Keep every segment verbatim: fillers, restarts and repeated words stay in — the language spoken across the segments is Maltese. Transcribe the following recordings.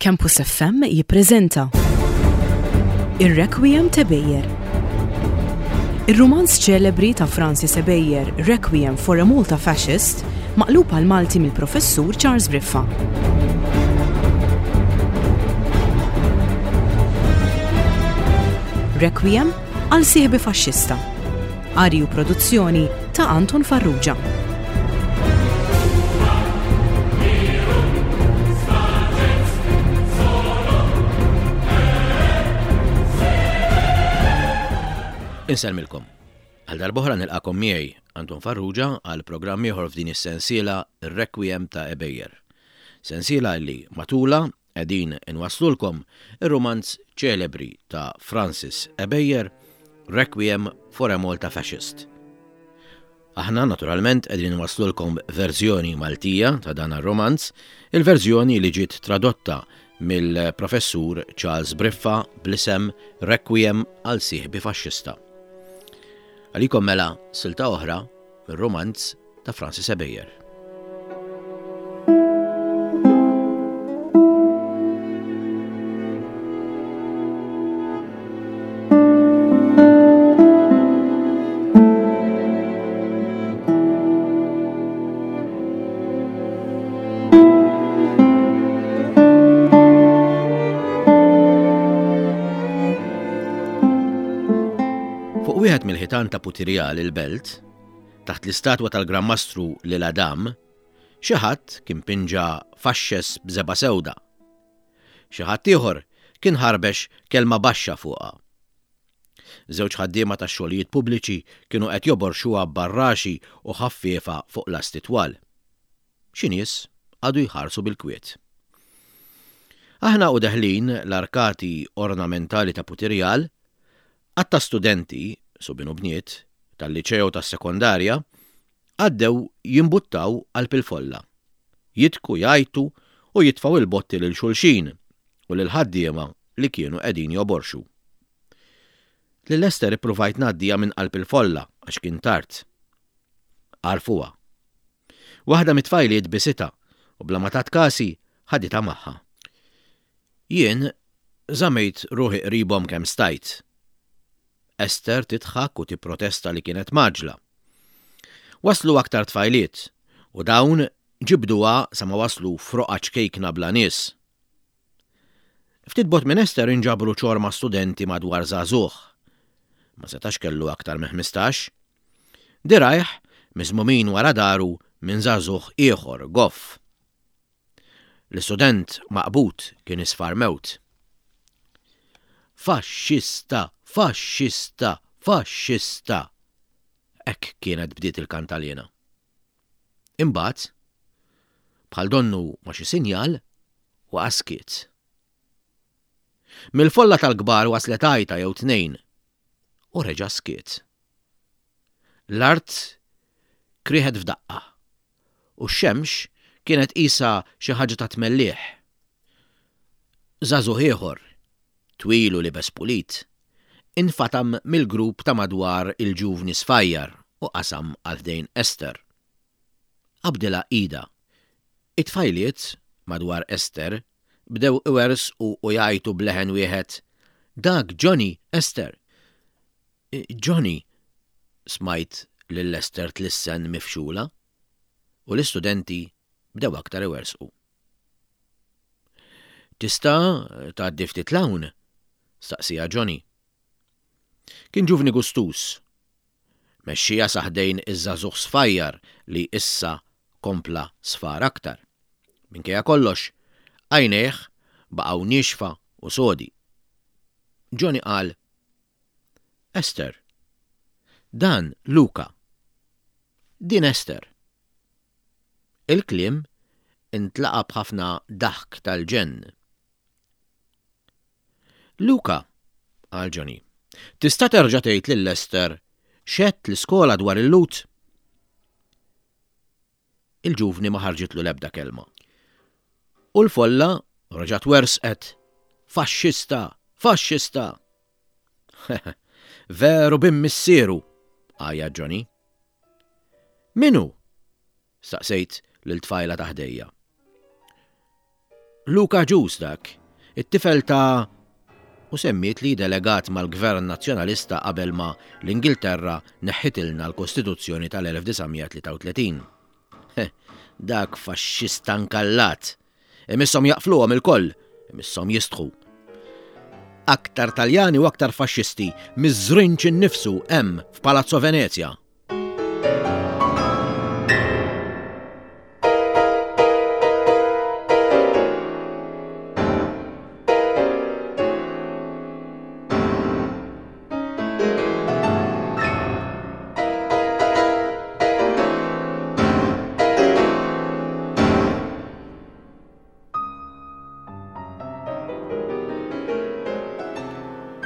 Campus F M jippreżenta Ir-Requiem t'Ebejer. Ir-rumanz ċelebri ta' Francis Ebejer, Requiem for a Malta Fascist, maqlub għal Malti mill-professur Charles Briffa. Requiem għal sieħbi faxxista. Qari u produzzjoni ta' Anton Farrugia. Insellmilkom. Għal darb'oħra nilqakom miegħi Anton Farrugia għal programm ieħor f'din is-sensiela Requiem ta' Ebejer. Sensiela li matula qegħdin inwaslulkom ir-rumanz ċelebri ta' Francis Ebejer, Requiem for a Malta Fascist. Aħna naturalment qegħdin inwaslulkom verżjoni Maltija ta' dan ar-romanz, il-verżjoni li ġiet tradotta mill-professur Charles Briffa bl-isem Requiem għal sieħbi faxxista. Għalikom mela silta oħra mir-romanz ta' Francis Ebejer. Fuq wieħed mill-ħitan ta' Putirjal il-belt, taħt l-istatwa tal-Gran Mastru Lil Adam, xi ħadd kien pinġa faxxes b'żebgħa sewda. Xi ħadd ieħor kien ħarbex kelma baxxa fuqha. Żewġ ħaddiema tax-xogħlijiet pubbliċi kienu qed joborxuha b'barraxi u ħaffiefa fuq lasti twal. Xi nies qagħdu jħarsu bil-kwiet. Aħna u deħlin l-arkati ornamentali ta' Putirjal, għadd ta' studenti, subien u bniet, tal-liċeo tas-sekondarja, għaddew jimbuttaw qalb il-folla. Jidku, jgħajtu u jitfgħu il-botti lil xulxin u lil ħaddiema li kienu qegħdin joborxu. Lil Ester ippruvajt ngħaddija minn qalb il-folla għax kien tard. Għarfuha. Waħda mit-tfajliet bisitha u bla ma tat kasi ħaditha magħha. Jien żamejt ruħi qribhom kemm stajt. Ester tidħak u tipprotesta li kienet maġla. Waslu aktar tfajliet u dawn ġibduha sa ma waslu froqa ċkejkna bla nies. Ftit bogħod minn Ester inġabru ċorma studenti madwar żagħżugħ. Ma setax kellu aktar minn ħmistax. Dirajh miżmumin wara daru minn żagħżugħ ieħor goff. L-istudent maqbud kien isfar mewt. Faxxista, faxxista, faxxista. Hekk kienet bdiet il-kantalena. Imbagħad, bħal donnu ma' xi sinjal, waqa' skiet. Mill-folla tal-kbar waslet għajta jew tnejn u reġa' skiet. L-art krieħet f'daqqa u x-xemx kienet qisha xi ħaġa ta' tmellieħ. Żagħżugħ ieħor, twil u libes pulit, infatam mill-grupp ta' madwar il-ġuvni sfajjar u qasam għal ħdejn Ester. Qabdilha ida. It-tfajliet madwar Ester bdew iwersqu u jgħajtu b'leħen wieħed, Dak Johnny, Ester. Johnny, smajt lil Ester tlissen mifxula, u l-istudenti bdew aktar iwersqu. Tista' tgħaddi ftit 'l hawn? Staqsija Johnny. Kien ġuvni gustus. Mexxija sa ħdejn iż-żagħżugħ sfajjar li issa kompla sfar aktar. Minkejja kollox, għajnejh baqgħu niexfa u sodi. Johnny qal, Ester, dan Luka. Din Ester. Il-kliem intlaqa' b'ħafna daħk tal-ġenn. Luka, qal Johnny, tista' terġa' tgħid lil Ester x'għedt l-iskola dwar il-Lhud? Il-ġuvni ma ħarġitlu l-ebda kelma. U l-folla reġgħet wersqet, Faxxista, faxxista. Veru bin missieru, għajja Johnny. Min hu? Staqsejt lil tfajla ta' ħdejja. Luca Agius dak, it-tifel ta' u semmiet li delegat mal-Gvern Nazzjonalista qabel ma l-Ingilterra neħħitilna l-Kostituzzjoni tal-elf disa' mija tlieta u tletin. Heh, dak faxxista nkallat. Imisshom jaqfluhom ilkoll, imisshom jistħu. Aktar Taljani u aktar faxxisti miż-żrinċ innifsu hemm f'Palazzo Venezia.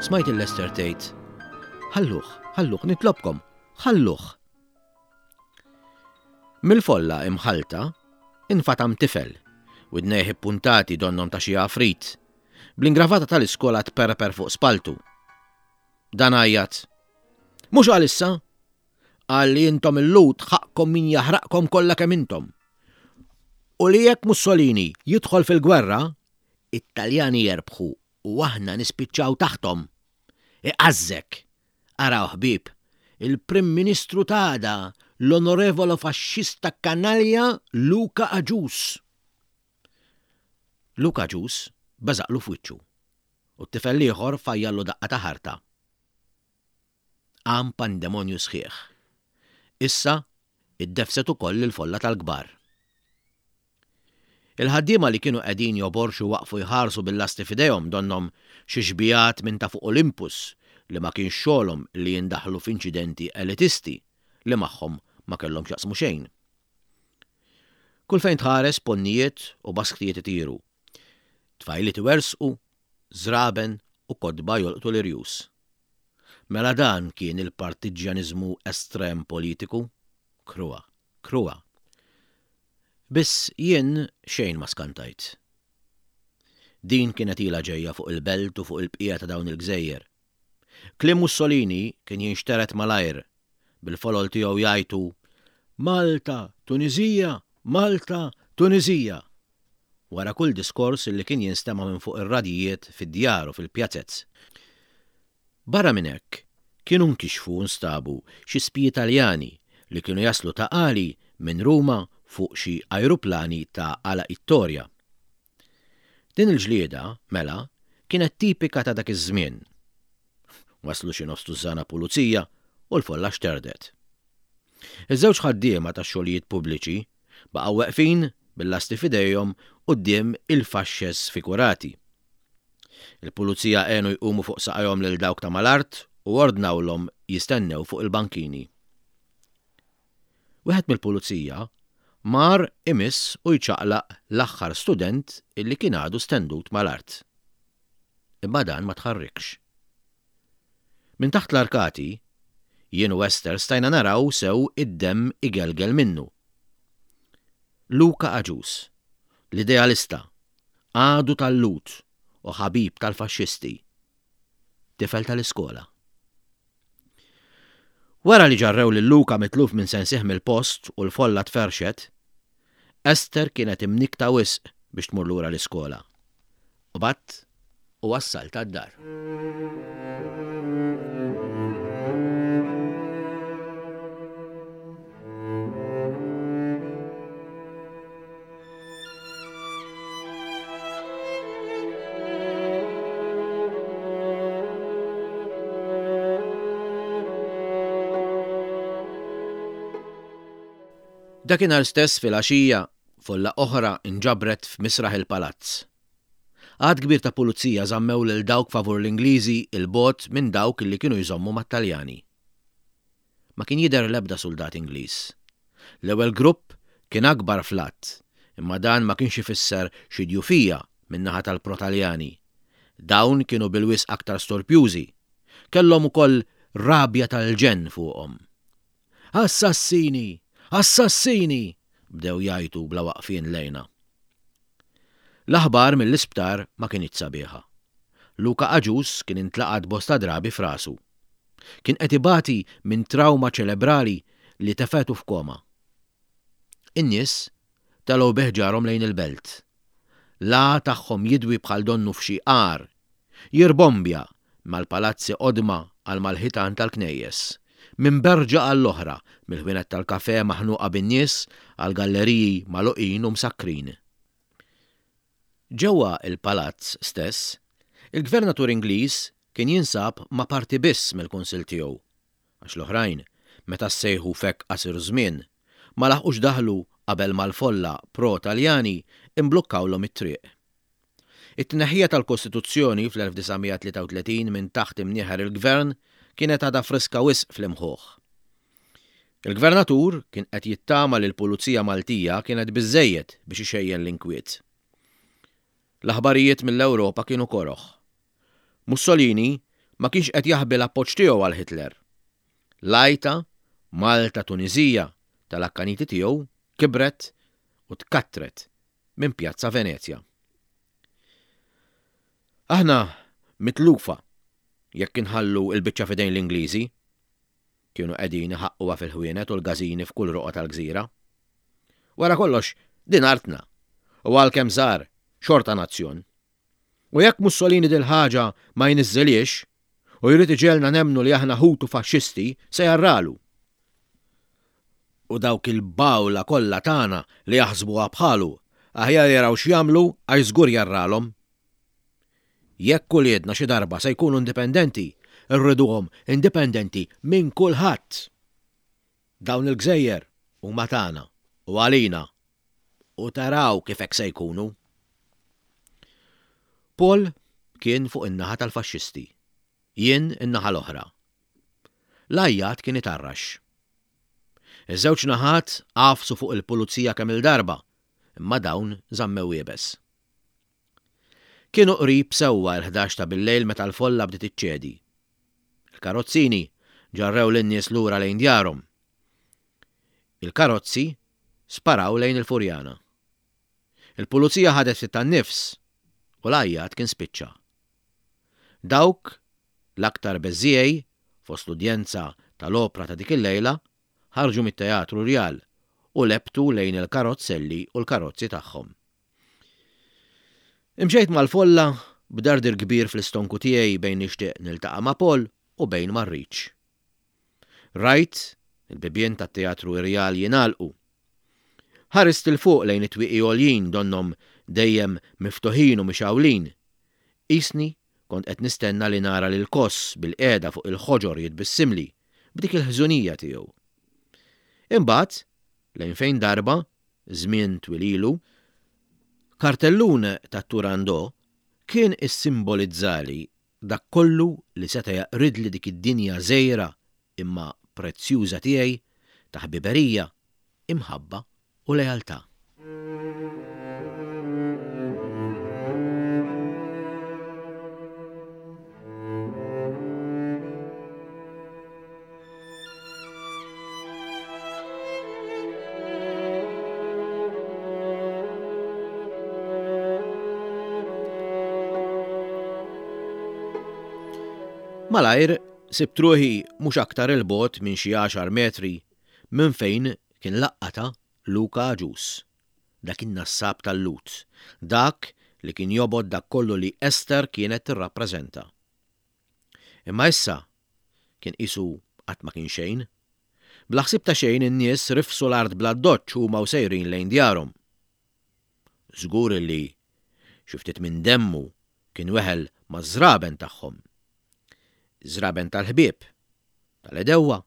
Smajt il-Lester tgħid, Ħalluh, ħalluh, nitlobkom, ħalluh. Mill-folla imħalta infatam tifel, widnejh ippuntati donnom ta' xi għafrit, bl-ingravata tal-iskola tperper fuq spaltu. Dan għajjat, Mhux għalissa, qal li intom il-Lhud ħaqkom min jaħraqkom kollha kemm intom. U li jekk Mussolini jidħol fil-gwerra, it-Taljani jerbħu u aħna nispiċċaw taħtom. Iqażżek. Araw ħbieb, il-Prim Ministru t'għada, l-Onorevolo Faxxista Kanalja Luca Agius. Luca Agius beżaqlu f'wiċċu u t-tifel ieħor fajjallu daqqa ta' ħarta. Qam pandemonju sħiħ. Issa iddefset ukoll il-folla tal-kbar. Il-ħaddiema li kienu qegħdin joborxu waqfu jħarsu bil-lasti f'idejhom donhom xi xbijat minn ta' fuq Olympus li ma kienx xogħolhom li jindaħlu f'inċidenti elitisti li magħhom ma kellhom x'jaqsmu xejn. Kull fejn tħares ponnijiet u basktijiet itiru. Tfajliet iwersqu, żraben u kotba jolqtu l-irjus. Mela dan kien il-partiġjaniżmu estrem politiku? Kruha, kruha. Biss jien xejn ma skantajt. Din kienet ilha ġejja fuq il-belt u fuq il-bqija ta' dawn il-gżejjer. Kliem Mussolini kien jinxteret malajr, bil-folol tiegħu jgħajtu Malta, Tunizija, Malta, Tunizija. Wara kull diskors li kien jinstema' minn fuq ir-radijiet fid-djar u fil-pjazzez. Barra minn hekk, kienu nkixfu u nstabu xi spiji Taljani li kienu jaslu ta' Qali minn Ruma fuq xi ajruplani ta' Ala Ittoria. Din il-ġlieda, mela, kienet tipika ta' dak iż-żmien. Waslu xi nofs tużżana pulizija u l-folla xterdet. Iż-żewġ ħaddiema tax-xogħlijiet pubbliċi baqgħu weqfin bil-lasti f'idejhom quddiem il-faxxes fikurati. Il-pulizija għenu jqumu fuq saqajhom lil dawk ta' mal-art u ordnawlhom jistennew fuq il-bankini. Wieħed mill-pulizija mar imiss u jċaqlaq l-aħħar student illi kien għadu stendut mal-art. Imma dan ma tħarrikx. Minn taħt l-arkati, jien u Esther stajna naraw sew id-demm igelgel minnu. Luca Agius, l-idealista, għadu tal-Lhud u ħabib tal-faxxisti, tifel tal-iskola. Wara li ġarrew lil Luca mitluf minn sensih mill-post u l-folla tferxet, Esther kienet imnikta wisq biex tmur lura l-iskola. U bat u wassalta d-dar. Dakinhar stess fil-għaxija, folla oħra inġabret f'misraħ il-palazz. Għadd kbir ta' pulizija żammew lil dawk favur l-Ingliżi il-bogħod minn dawk li kienu jżommu mat-Taljani. Ma kien jidher l-ebda soldat Ingliż. L-ewwel grupp kien akbar fl-att, imma dan ma kienx ifisser xi djufija min-naħa tal-Protaljani. Dawn kienu bil-wisq aktar storpjużi. Kellhom ukoll rabja tal-ġenn fuqhom. Assassini! Assassini! Bdew jgħajtu bla waqfien lejna. L-aħbar mill-isptar ma kinitx sabiħa. Luca Agius kien intlaqat bosta drabi f'rasu. Kien qed ibati minn trauma ċelebrali li tefetu f'koma. In-nies telgħu biħġarhom lejn il-belt. L-għa tagħhom jidwi bħal donnu f'xi għar, jirbombja mal-palazzi qodma għal mal-ħitan tal-knejjes, minn berġa għall-oħra, mill-ħwienet tal-kafè maħnuqa bin-nies għal galleriji magħluqin u msakkrin. Ġewwa l-palazz stess, il-gvernatur Ingliż kien jinsab ma' parti biss mill-kunsill tiegħu, għax l-oħrajn, meta ssejħu f'hekk qasir żmien, ma laħqux daħlu qabel ma l-folla pro-Taljani imblukkawlhom it-triq. It-tneħħija tal-Kostituzzjoni fl-elf disa' mija tlieta u tletin minn taħt imnieħer il-Gvern kienet għadha friska wisq fl-imħuħ. Il-Gvernatur kien qed jittama li l-Pulizija Maltija kienet biżżejjed biex ixejjen l-inkwiet. L-aħbarijiet mill-Ewropa kienu koroh. Mussolini ma kienx qed jaħbi l-appoġġ tiegħu għal Hitler. L-għajta Malta Tuniżija tal-akkaniti tiegħu kibret u tkattret minn Pjazza Venezja. Aħna mitlufa jekk inħallu l-biċċa f'idejn l-Ingliżi. Kienu qegħdin iħaqquha fil-ħwienet u l-gażini f'kull roqgħa tal-gżira. Wara kollox, din artna, u għalkemm żgħar, xorta nazzjon. U jekk Mussolini dil-ħaġa ma jniżżilhiex u jrid iġegħelna nemmnu li aħna ħutu faxxisti, se jarralu. U dawk il-bawla kollha tagħna li jaħsbuha bħalu, aħjar jaraw x'jagħmlu għax żgur jarralhom. Jekk uliedna xi darba se jkunu indipendenti, irriduhom indipendenti minn kulħadd. Dawn il-gżejjer huma tagħna u għalina u taraw kif hekk se jkunu. Paul kien fuq in-naħa tal-faxxisti, jien in-naħa l-oħra. L-għajjat kien itarrax. Iż-żewġ naħat għafsu fuq il-pulizija kemm il-darba, imma dawn żammew iebes. Kienu qrib sewwa l-ħdax ta' billejl meta l-folla bdiet iċċedi. Il-karozzini ġarrew lin-nies lura lejn djarhom. Il-karozzi sparaw lejn il-Furjana. Il-pulizija ħadet ftit tan-nifs u l-għajjat kien spiċċa. Dawk l-aktar beżżiegħi fost l-udjenza tal-opra ta' dik il-lejla ħarġu mit-Teatru Rjal u lebtu lejn il-karozzelli u l-karozzi tagħhom. Imxejt mal-folla b'dardir kbir fl-istonku tiegħi bejn nixtieq niltaqa' ma' Paul u bejn ma rridx. Rajt il-bibien tat-Teatru Rjal jingħalqu. Ħarist 'il fuq lejn it-twieqi għoljin donnhom dejjem miftuħin u mixgħulin. Qisni kont qed nistenna li nara lil Koss bil-qiegħda fuq il-ħoġor jitbissimli b'dik il-ħżunija tiegħu. Imbagħad, lejn fejn darba, żmien twil ilu, kartellun ta' Turandot kien issimbolizzali dak kollu li seta' jaqridli dik id-dinja żgħira imma prezzjuża tiegħi ta' ħbiberija, imħabba u lealtà. Malajr sibt ruħi mhux aktar 'il bogħod minn xi għaxar metri minn fejn kien laqqata Luca Agius, dak in-nassab tal-Lhud, dak li kien jobgħod dak kollu li Ester kienet tirrappreżenta. Imma issa kien qisu qatt ma kien xejn. Bla ħsieb ta' xejn in-nies rifsu l-art bl-addoċċ huma u sejrin lejn djarhom. Żgur li xi ftit minn demmu kien weħel maż-żraben tagħhom. Żraben tal-ħbieb, tal-edewwa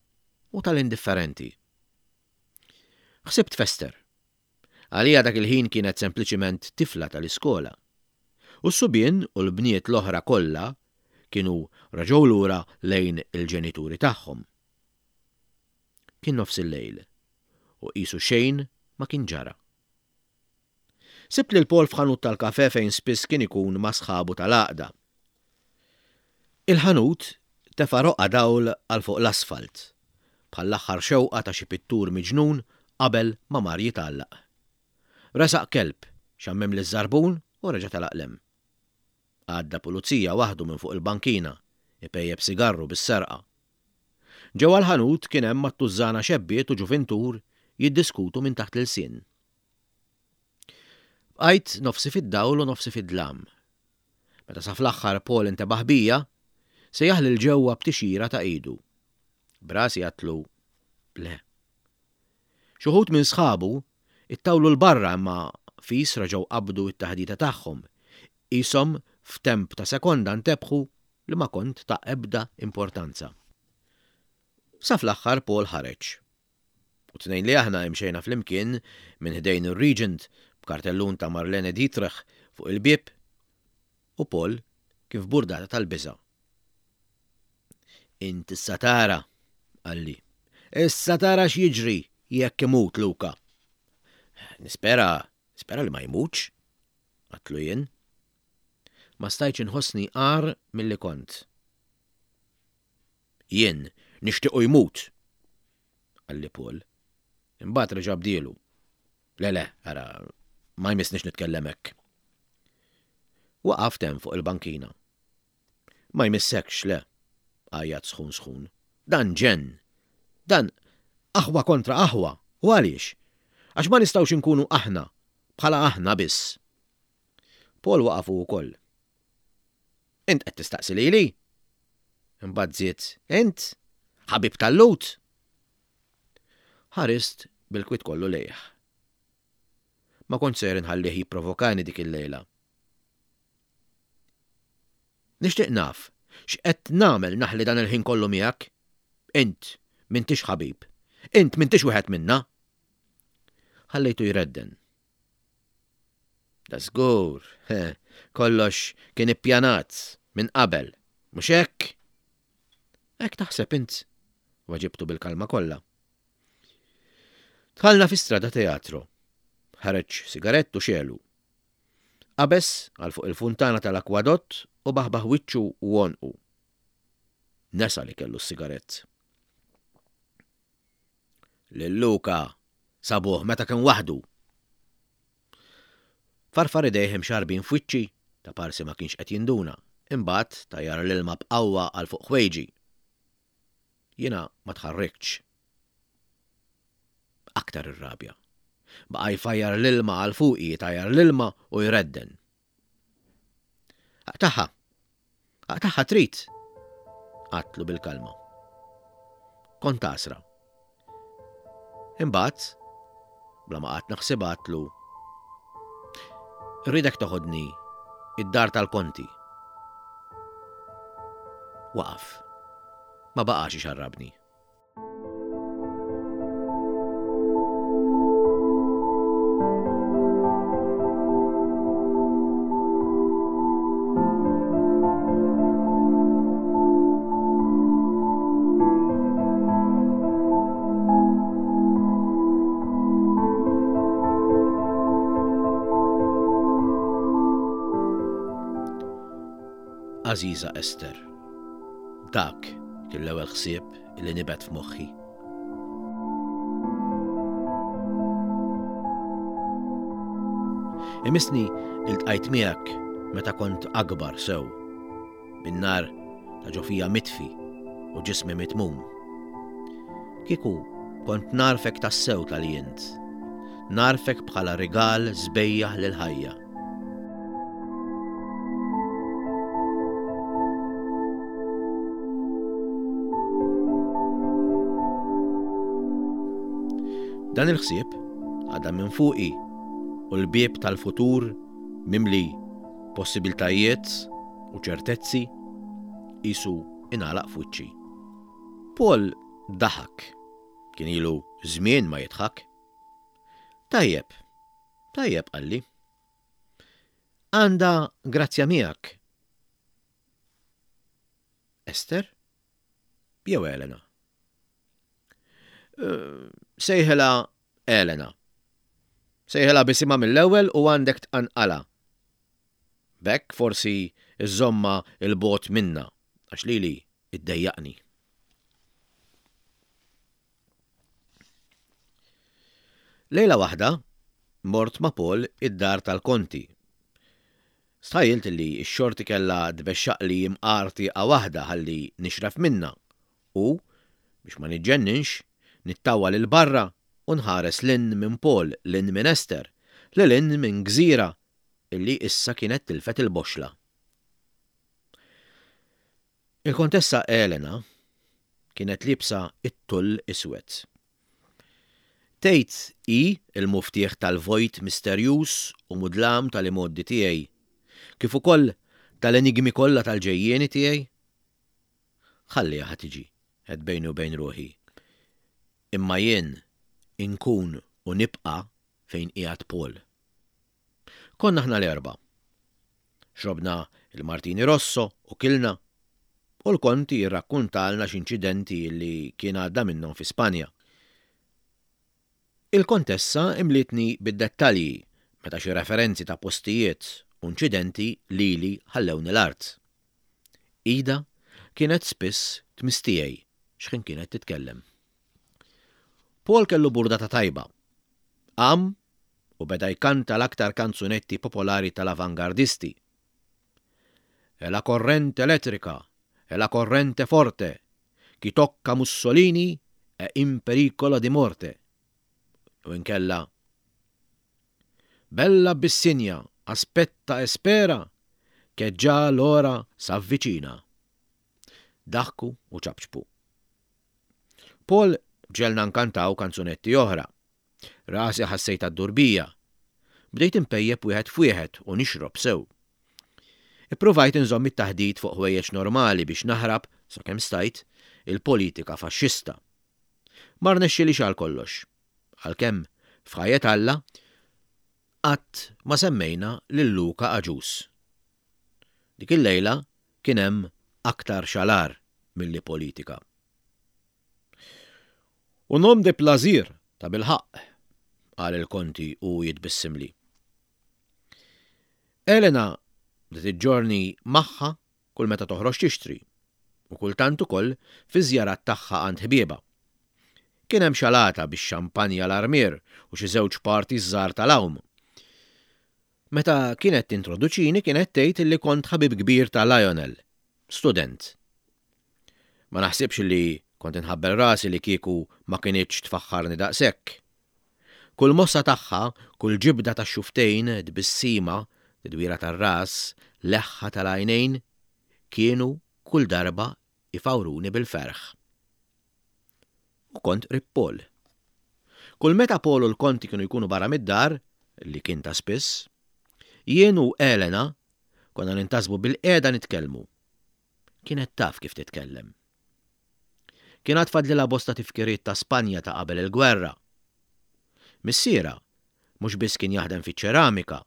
u tal-indifferenti. Ħsibt f'Ester. Għalija dak il-ħin kienet sempliċiment tifla tal-iskola. U s-subien u l-bniet l-oħra kollha kienu reġgħu lura lejn il-ġenituri tagħhom. Kien nofs il-lejl u qisu xejn ma kien ġara. Sibt lil Paul f'ħanut tal-kafè fejn spiss kien ikun ma' sħabu tal-għaqda. Il-ħanut tefa' roqgħa dawl għal fuq l-asfalt, bħall-aħħar xewqa ta' xi pittur miġnun qabel ma mar jitgħallaq. Resaq kelb, xammem liż-żarbun u reġa' telaq 'l hemm. Għadda pulizija waħdu minn fuq il-bankina, ipejjeb sigarru bis-serqa. Ġewwa l-ħanut kien hemm mat-tużżana xebbiet u ġuvintur jiddiskutu minn taħt l-ilsien. Bqajt nofsi fid-dawl u nofsi fid-dlam. Meta sa fl-aħħar Paul intebaħ bija, sejjaħ lil ġewwa b'tixjira ta' idu. B'rasi għedtlu le. Xi wħud minn sħabu ittawlu 'l barra imma fis reġgħu qabdu t-taħdita tagħhom. Qishom f'temp ta' sekonda ntebħu li ma kont ta' ebda importanza. Sa fl-aħħar Paul ħareġ. U tnejn li aħna imxejna flimkien minn ħdejn ir-Regent b'kartellun ta' Marlene Dietrich fuq il-bieb u Paul kif burdata tal-biża'. Int issa tara, qalli. Issa tara x'jiġri jekk imut Luka. Nispera, nispera li ma jmutx, għedtlu jien. Ma stajtx inħossni agħar milli kont. Jien nixtiequ jmut, qalli Paul. Imbagħad reġa' bdielu. Le le, ara, ma jmissnix nitkellem hekk. Waqaft hemm fuq il-bankina. Ma jmissekx le, għajjat sħun sħun. Dan ġenn. Dan aħwa kontra aħwa. U għaliex? Għax ma nistgħux inkunu aħna, bħala aħna biss. Paul waqaf hu wkoll. Int qed tistaqsi lili? Imbagħad żied, int ħabib tal-Lhud. Ħarist bil-kwiet kollu lejh. Ma kont ser inħallih jipprovokani dik il-lejla. Nixtieq naf x'qed nagħmel naħli dan il-ħin kollu miegħek? Int m'intix ħabib. Int m'intix wieħed minna. Ħallejtu jredden. Da żgur, kollox kien ippjanat minn qabel, mhux hekk? Hekk taħseb int, weġibtu bil-kalma kollha. Dħalna fi strada teatro. Ħareġ sigarett u xegħlu. Qabeż għal fuq il-funtana tal-akwadott u baħbaħ wiċċu u għonqu. Nesa li kellu s-sigarett. Lil Luka sabuh meta kien waħdu. Farfar idejh imxarbin f'wiċċi ta' parsi ma kienx qed jinduna, imbagħad tajjar l-ilma b'qawwa għal fuq ħwejġi. Jiena ma tħarriktx. Aktar irrabja. Baqa' jfajjar l-ilma għal fuqi, jtajjar l-ilma u jredden. Aqtagħha! Aqtagħha trid! Għedtlu bil-kalma. Kont għasra. Imbagħad, bla ma qgħadt naħsibha għedtlu, Irridek toħodni id-dar tal-konti. Waqaf. Ma baqax ixarrabni. Għażiża Ester, dak kien l-ewwel ħsieb li nibet f'moħħi. Imissni iltqajt miegħek meta kont akbar sew, bin-nar ta' ġo fija mitfi u ġismi mitmum. Kieku kont narfek tassew tal int, narfek bħala rigal sbejjaħ lill-ħajja. Dan il-ħsieb għadda minn fuqi u l-bieb tal-futur mimli possibiltajiet u ċertezzi qisu ingħalaq f'wiċċi. Paul daħak. Kien ilu żmien ma jidħak. Tajjeb, tajjeb qalli. Għandha grazzja miegħek. Ester? Jew Elena? Sejħilha Elena. Sejħilha b'isimha mill-ewwel u għandek tqanqalha. B'hekk forsi żżommha 'l bogħod minna, għax lili iddejjaqni. Lejla waħda mort ma' Paul id-dar tal-Konti. Stħajjilt li x-xorti kellha tbexxaqli imqar tieqa waħda ħalli nixref minnha u, biex ma niġġenninx, nittawwal 'il barra u nħares 'l hinn minn Paul, 'l hinn minn Esther, Lil hinn minn gżira illi issa kienet tilfet il-boxla. Il-Kontessa Elena kienet liebsa it-tull iswed. Tgħid hi il-muftieħ tal-vojt misterjuż u mudlam tal-imgħoddi tiegħi, kif ukoll tal-enigmi kollha tal-ġejjieni tiegħi? Ħalliha ħa tiġi, għedt bejni u bejn ruħi. Imma jien inkun u nibqa' fejn qiegħed Paul. Konna aħna l-erbgħa. Xrobna il-Martini Rosso u kilna, u l-konti jirrakkuntalna x'inċidenti li kien għadda minnhom fi Spanja. Il-kontessa imlietni bid-dettalji meta xi referenzi ta' postijiet u inċidenti lili ħallewni l-art. Ida kienet spiss tmiss tiegħi x'ħin kienet titkellem. Paul kellu burdata tajba. Qam u beda jkanta l-aktar kanzunetti popolari tal-avangardisti. E la corrente elettrica, e la corrente forte, chi tocca Mussolini è in pericolo di morte. U inkella Bella Abissinia, aspetta e spera, che già l'ora s'avvicina. Daħku u ċapċpu. Paul ġegħelna nkantaw kanzunetti oħra. Rasi ħassejtha ddur bija. Bdejt inpejjep wieħed f'wieħed u nixrob sew. Ippruvajt inżomm it-taħdit fuq ħwejjeġ normali biex naħrab, sakemm stajt, il-politika faxxista. Ma rnexxilix għal kollox. Għalkemm f'ħajjet Alla qatt ma semmejna lil Luca Agius. Dik il-lejla kien hemm aktar xalar milli politika. Un homme de plaisir ta' bilħaqq, qal il-konti u jitbissimli. Elena bdiet iġġorni magħha kull meta toħroġ tixtri u kultant ukoll fi żjarat tagħha għand ħbieba. Kien hemm xalata bix-xampanja l-armier u xi żewġ parti żgħar tal-għawm. Meta kienet tintroduċini kienet tgħid li kont ħabib kbir ta' Lionel, student. Ma naħsibx li kont inħabbel rasi li kieku ma kinitx tfaħħarni daqshekk. Kull mossa tagħha, kull ġibda ta' xuftejn, tbissima, tidwira tar-ras, leħħa tal-għajnejn, kienu kull darba ifawruni bil-ferħ. U kont qrib Paul. Kull meta Paul u l-konti kienu jkunu barra mid-dar, li kien ta' spiss, jien u Elena konna nintasbu bil-qiegħda nitkellmu. Kienet taf kif titkellem. Kien għad fadlilha bosta tifkiriet ta' Spanja ta' qabel il-gwerra. Missierha mhux biss kien jaħdem fiċ-ċeramika,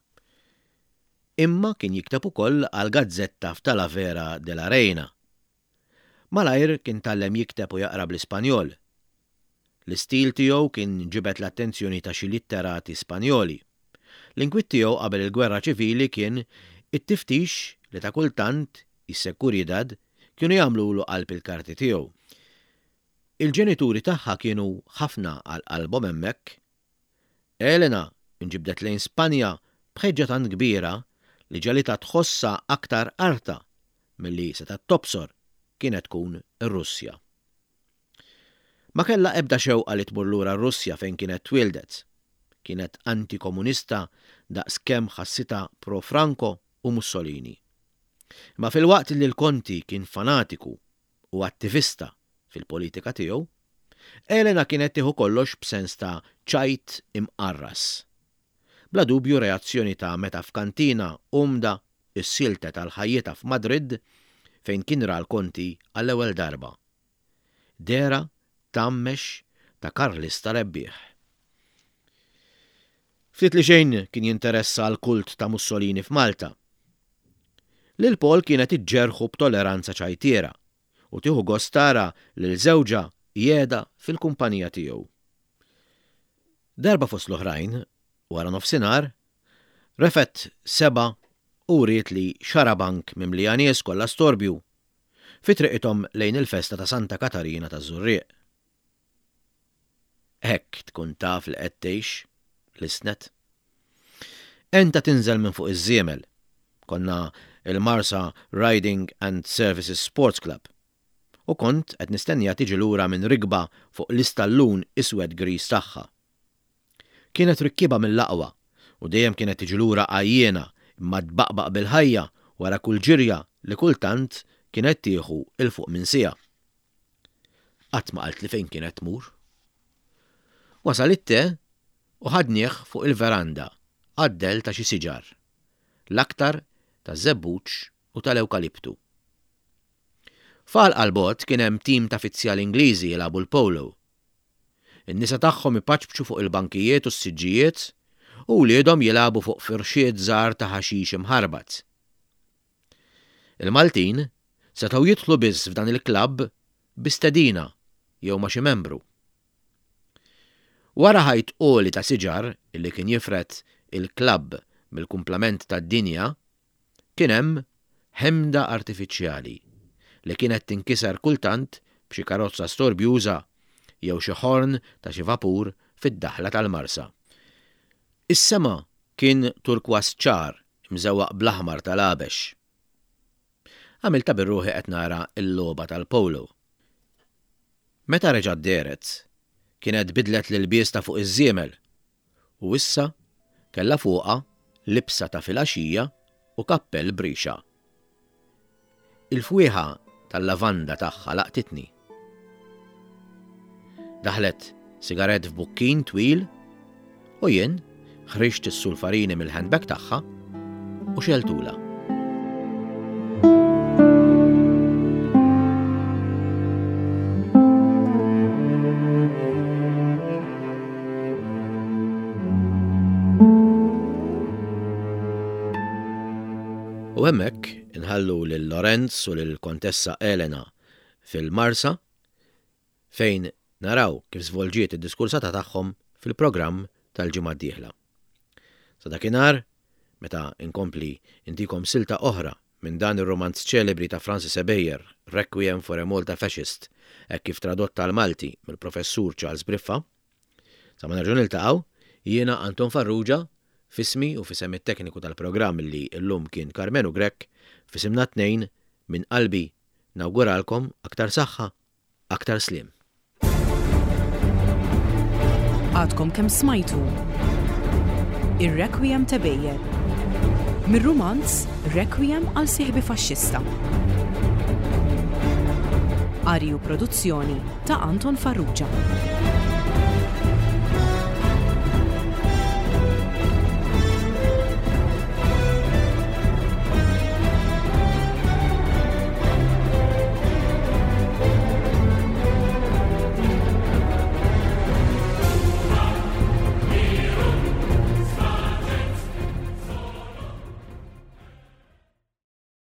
imma kien jikteb ukoll għal gazzetta f'Talavera de la Reina. Malajr kien tgħallem jikteb u jaqra bl-Ispanjol. L-istil tiegħu kien ġibed l-attenzjoni ta' xi litterati Spanjoli. L-inkwiet tiegħu qabel il-gwerra ċivili kien it-tiftix li ta' kultant is-Seguridad kienu jagħmlulu qalb il-karti tiegħu. Il-ġenituri tagħha kienu ħafna għal qalbhom hemmhekk. Elena inġibdet lejn Spanja b'ħeġġa tant kbira li ġegħlitha tħossha aktar artha milli setgħet tobsor kienet tkun ir-Russja. Ma kellha ebda xewqa li tmur lura r-Russja fejn kienet twildet. Kienet antikomunista daqskemm ħassitha pro-Franco u Mussolini. Ma filwaqt li l-Konti kien fanatiku u attivista fil-politika tiegħu, Elena kienet tieħu kollox b'sens ta' ċajt imqarras. Bla dubju reazzjoni ta' meta f'kantina umda issiltet għal ħajjitha f'Madrid fejn kien ra l-Konti għall-ewwel darba. Dehra tgħammex ta' Karlista rebbieħ. Ftit li xejn kien jinteressa l-kult ta' Mussolini f'Malta. Lil Paul kienet iġġerħu b'toleranza ċajtiera u tieħu gost tara lil żewġha qiegħda fil-kumpanija tiegħu. Darba fost l-oħrajn, wara nofsinhar, refgħet sebgħa u wrietli xarabank mimlija nies kollha storbju fi triqithom lejn il-festa ta' Santa Katarina ta' Żurrieq. Hekk tkun taf li qed tgħix lissnet. Enta tinżel minn fuq iż-żiemel. Konna il-Marsa Riding and Services Sports Club. U kont qed nistennija tiġi lura minn rikba fuq l-istallun iswed gris tagħha. Kienet rikkiba mill-aqwa U dejjem kienet tiġi lura għajjiena imma tbaqbaq bil-ħajja wara kull ġirja li kultant kienet tieħu 'l fuq minn siegħa. Qatt ma qaltli fejn kienet tmur. Wasal it-te u ħadnieh fuq il-veranda għad-dell ta' xi siġar, l-aktar taż-żebbuġ u tal-ewkaliptu. F'għalqa 'l bogħod kien hemm tim ta' fizzjali Ingliżi jilagħbu l-polo. In-nisa tagħhom ipaċpċu fuq il-bankijiet u s-siġġijiet u wliedhom jilagħbu fuq firxiet żgħar ta' ħaxix imħarbat. Il-Maltin setgħu jidħlu biss f'dan il-klabb bi stedina jew ma' xi membru. Wara ħajt għoli ta' siġar illi kien jifred il-klabb mill-kumplament tad-dinja, kien hemm ħemda artifiċjali li kienet tinkiser kultant b'xi karozza storbjuża jew xi ħorn ta' xi vapur fid-daħla tal-Marsa. Is-sema kien turkważ ċar imżewwaq bl-aħmar tal-għabex. Għamilt ta' bir-ruħi qed nara l-logħba tal-polo. Meta reġgħet dehret, kienet bidlet l-ilbies ta' fuq iż-żiemel u issa kellha fuqha libsa ta' filgħaxija u kappell b'rixa. Il-fwieħa tal-lavanda tagħha laqtitni. Daħlet sigarett f'bukkin twil u jien ħriġt is-sulfarini mill-handbag tagħha u xeltula. U hemmhekk inħallu lil Lorenz u lil Kontessa Elena fil-Marsa fejn naraw kif żvolġiet id-diskursata tagħhom fil-programm tal-ġimgħa d-dieħla. Sa dakinhar, meta inkompli intikom silta oħra minn dan ir-romanz ċelebri ta' Francis Ebejer, Requiem for a Malta Fascist, hekk kif tradotta għall-Malti mill-Professur Charles Briffa. Sa ma nerġgħu niltaqgħu, jiena Anton Farrugia, f'ismi u f'isem it-tekniku tal-programm li llum kien Karmenu Grech, f'isimna t-tnejn, minn qalbi nawguralkom aktar saħħa, aktar sliem. Għadkom kemm smajtu Ir-Requiem ta' Beyer mir-rumanz Requiem għal Sieħbi Faxxista. Qari u produzzjoni ta' Anton Farrugia.